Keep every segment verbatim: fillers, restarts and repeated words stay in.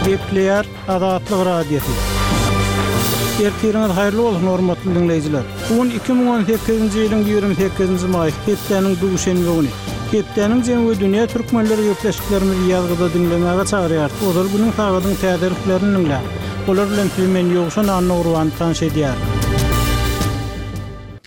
Gepleýär Azatlyk Radiosy. Ertiriňiz haýyrly bolsun hormatly diňleýjiler. Bu gün iki müň on sekizinji ýylyň ýigrimi sekizinji maý, hepdäniň duşenbe güni. Hepdäniň jemi we dünýä türkmenleri gepleşiklerimizi ýazgyda diňlemäge çagyrýar. Ozal günüň sagadyň täzeliklerini diňläň. Olar bilen sizi men Ýowşan Annagurban tanyş edýär.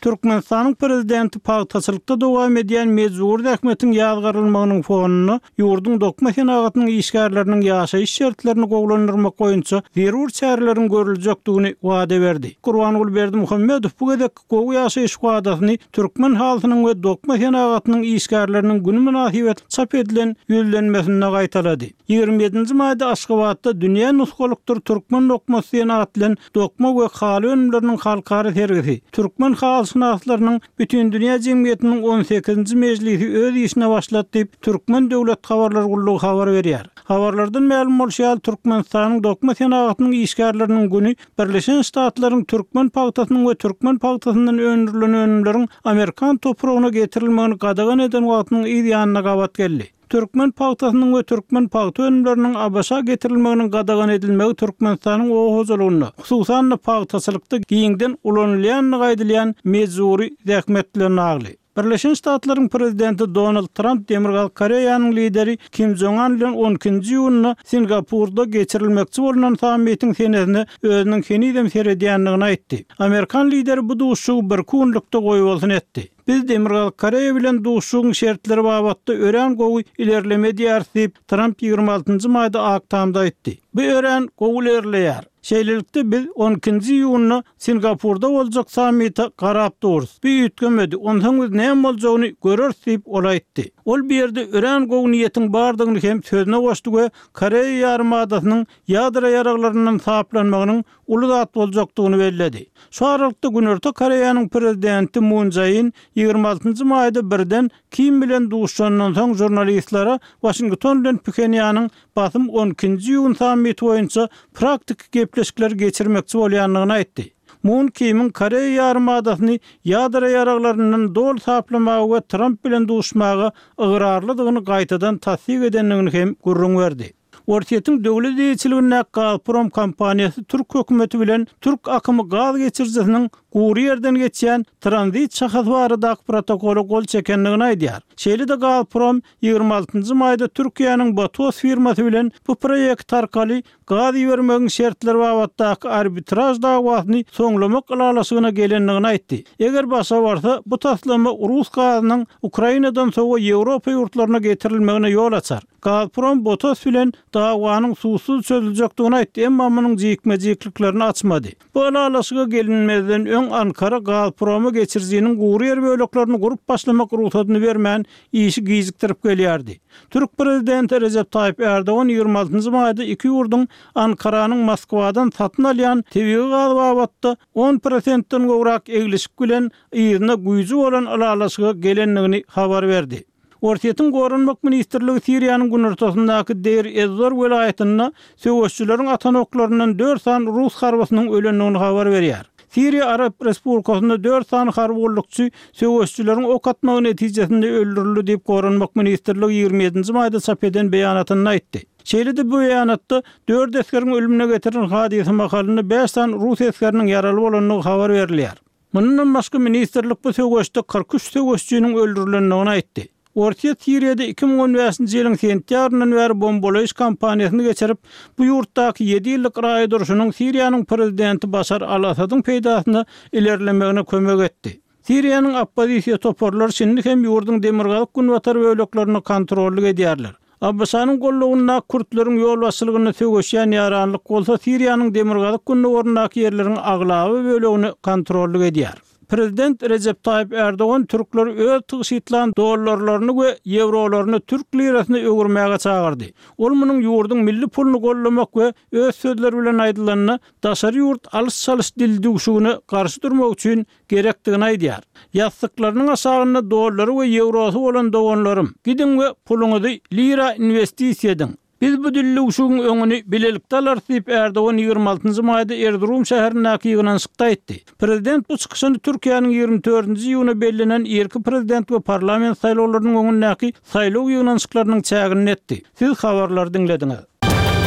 Türkmenistanyň prezidenti pagtaçylykda dowam edýän mejbur zähmetiň ýazgarylmagynyň fonunda ýurduň dokma senagatynyň işgärleriniň ýaşaýyş şertlerini gowulandyrmak boýunça zerur çäreleriň görüljekdigini wada berdi. Gurbanguly Berdimuhamedow bu gezek gowy ýaşaýyş wadasyny türkmen halkynyň we dokma senagatynyň işgärleriniň günü münasibet çap edilen ýüzlenmesinde gaýtalady. Ýigrimi ýedinji maýda Aşgabatda dünýä nusgalykdyr türkmen dokmasy senat bilen dokma we haly önümleriniň halkara sergisi, türkmen halyşynaslarynyň bütün dünýä jemgyýetiniň on sekizinji mejlisi öz işine başlady diýip, Türkmen döwlet habarlar gullugy habar berýär. Habarlardan mälum bolşy ýaly, Türkmenistanyň dokma senagatynyň işgärleriniň günü Birleşen Ştatlaryň türkmen pagtasynyň we türkmen pagtasyndan öndürilen önümleriň Amerikan topragyna getirilmegini gadagan eden wagtynyň yz ýanyna gabat geldi. Türkmen pagtasynyň we türkmen pagta önümleriniň ABŞ-a getirilmeginiň gadagan edilmegi Türkmenistanyň oba hojalygynda, hususan-da pagtaçylykda giňden ulanylýandygy aýdylýan mejburi zähmet bilen bagly. Birleşen Ştatlaryň prezidenti Donald Trump Demirgazyk Koreýanyň lideri Kim Jong-un bilen on ikinji iýunda Singapurda geçirilmekçi bolunan sammitiň senesine özüniň henizem seredýändigini aýtdy. Amerikan lideri bu duşuşygy bir günlükde goýbolsun etdi. Biz Demirgazyk Koreýa bilen duşuşygyň şertleri babatda örän gowy ilerleme edýäris diýip, Trump ýigrimi altynjy maýda Ak Tamda aýtdy. Bu örän gowy ilerleýär. Şeýlelikde biz on ikinji iýunda Singapurda boljak sammite garap duruz. Bu üýtgemedi, onsoň biz näme boljagyny göreris diýip ol aýtdy. Ol bir ýerde örän gowy niýetiň bardygyny hem sözüne goşdy we Koreýa ýarymadasynyň ýadro ýaraglaryndan saplanmagynyň uly zat boljakdygyny belledi. Şu aralykda Günorta Koreýanyň prezidenti Moon Jae-in ýigrimi altynjy maýda birden Kim bilen duşandan soň žurnalistlere Washington bilen Phenýanyň basym on ikinji iýun sammiti boýunça praktiki gepleşikleri geçirmekçi bolýandygyny aýtdy. Moon Kim'iň Koreýa ýarymadasyny ýadro ýaraglaryndan doly saplamaga we Trump bilen duşmaga ygrarlydygyny gaýtadan tassyk edendigini hem gürrüň berdi. Orsýetiň döwlet eýeçiligindäki Gazprom kompaniýasy türk hökümeti bilen türk akymy gaz geçirijisiniň gury ýerden geçýän tranzit şahasy baradaky protokola gol çekendigini aýdýar. Şeýle-de Gazprom ýigrimi altynjy maýda Türkiýäniň Botos firmasy bilen bu proýekt arkaly gaz ibermegiň şertleri babatdaky arbitraj dawasyny soňlamak ylalaşygyna gelendigini aýtdy. Eger başa barsa, bu taslama Rus gazynyň Ukrainadan sowa Ýewropa ýurtlaryna getirilmegine ýol açar. Gazprom Botos bilen dawanyň suwsuz çözüljekdigini aýtdy, emma munuň jikme-jikliklerini açmady. Bu ylalaşyga gelinmezden öň Ankara Gazpromy geçirijiniň gury ýer böleklerini gurup başlamak rugsadyny bermän işi gijikdirip gelýärdi. Türk prezidenti Recep Tayyip Erdogan ýigrimi altynjy maýda iki ýurduň Ankaranyň Moskwadan satyn alýan tebigy gaz babatda on prosentden gowrak eglişik bilen yzyna güýji bolan ylalaşyga gelendigini habar berdi. Orsýetiň Goranmak ministrligi Siriýanyň günortasyndaky Deir ez-Zor welaýatynda söweşçileriň atan oklaryndan dört sany rus harbysynyň ölendigini habar berýär. Siriýa Arap Respublikasynda dört sany harby gullukçy söweşçileriň ok atmagy netijesinde öldürildi diýip Goranmak ministrligi ýigrimi ýedinji maýda çap eden beýanatynda aýtdy. Şeýle-de bu beýanatda dört esgeriň ölümüne getiren hadysa mahalynda bäş sany rus esgeriniň ýaraly bolandygy habar berilýär. Mundan başga ministrlik bu söweşde kyrk üç söweşçiniň öldürilendigini aýtdy. Orsýet Siriýada iki müň on bäşinji ýylyň sentýabryndan bäri bombalaýyş kampaniýasyny geçirip, bu ýurtdaky ýedi ýyllyk raýat urşunyň Siriýanyň prezidenti Başar al-Asadyň peýdasyna ilerlemegine kömek etdi. Siriýanyň oppozisiýa toparlary şindi hem ýurduň demirgazyk günbatar böleklerini kontrollyk edýärler. ABŞ-nyň gollugyndaky kürtleriň ýolbaşçylygynda söweşýän ýaranlyk bolsa Siriýanyň demirgazyk gündogaryndaky ýerleriň aglaba bölegini kontrollyk edýär. Prezident Recep Tayyip Erdogan türkleri öz tygşytlan dollarlaryny we ýewrolaryny türk lirasyna öwürmäge çagyrdy. Ol munuň ýurduň milli puluny gollamak we öz sözleri bilen aýdylanda daşary ýurt alyş-çalyş dildüwşügine garşy durmak üçin gerekdigini aýdýar. Ýassyklarynyň aşagynda dollary we ýewrosy bolan doganlarym, gidiň we puluňyzy lira investisiýa ediň. Biz bu dildüwşügiň öňüni bilelikde alarys diýip Erdogan ýigrimi altynjy maýda Erzurum şäherindäki ýygnanyşykda aýtdy. Prezident bu çykyşyny Türkiýäniň ýigrimi dördünji iýuna bellenen irki prezident we parlament saýlawlarynyň öňündäki saýlaw ýygnanyşyklarynyň çäginde etdi. Siz habarlary diňlediňiz.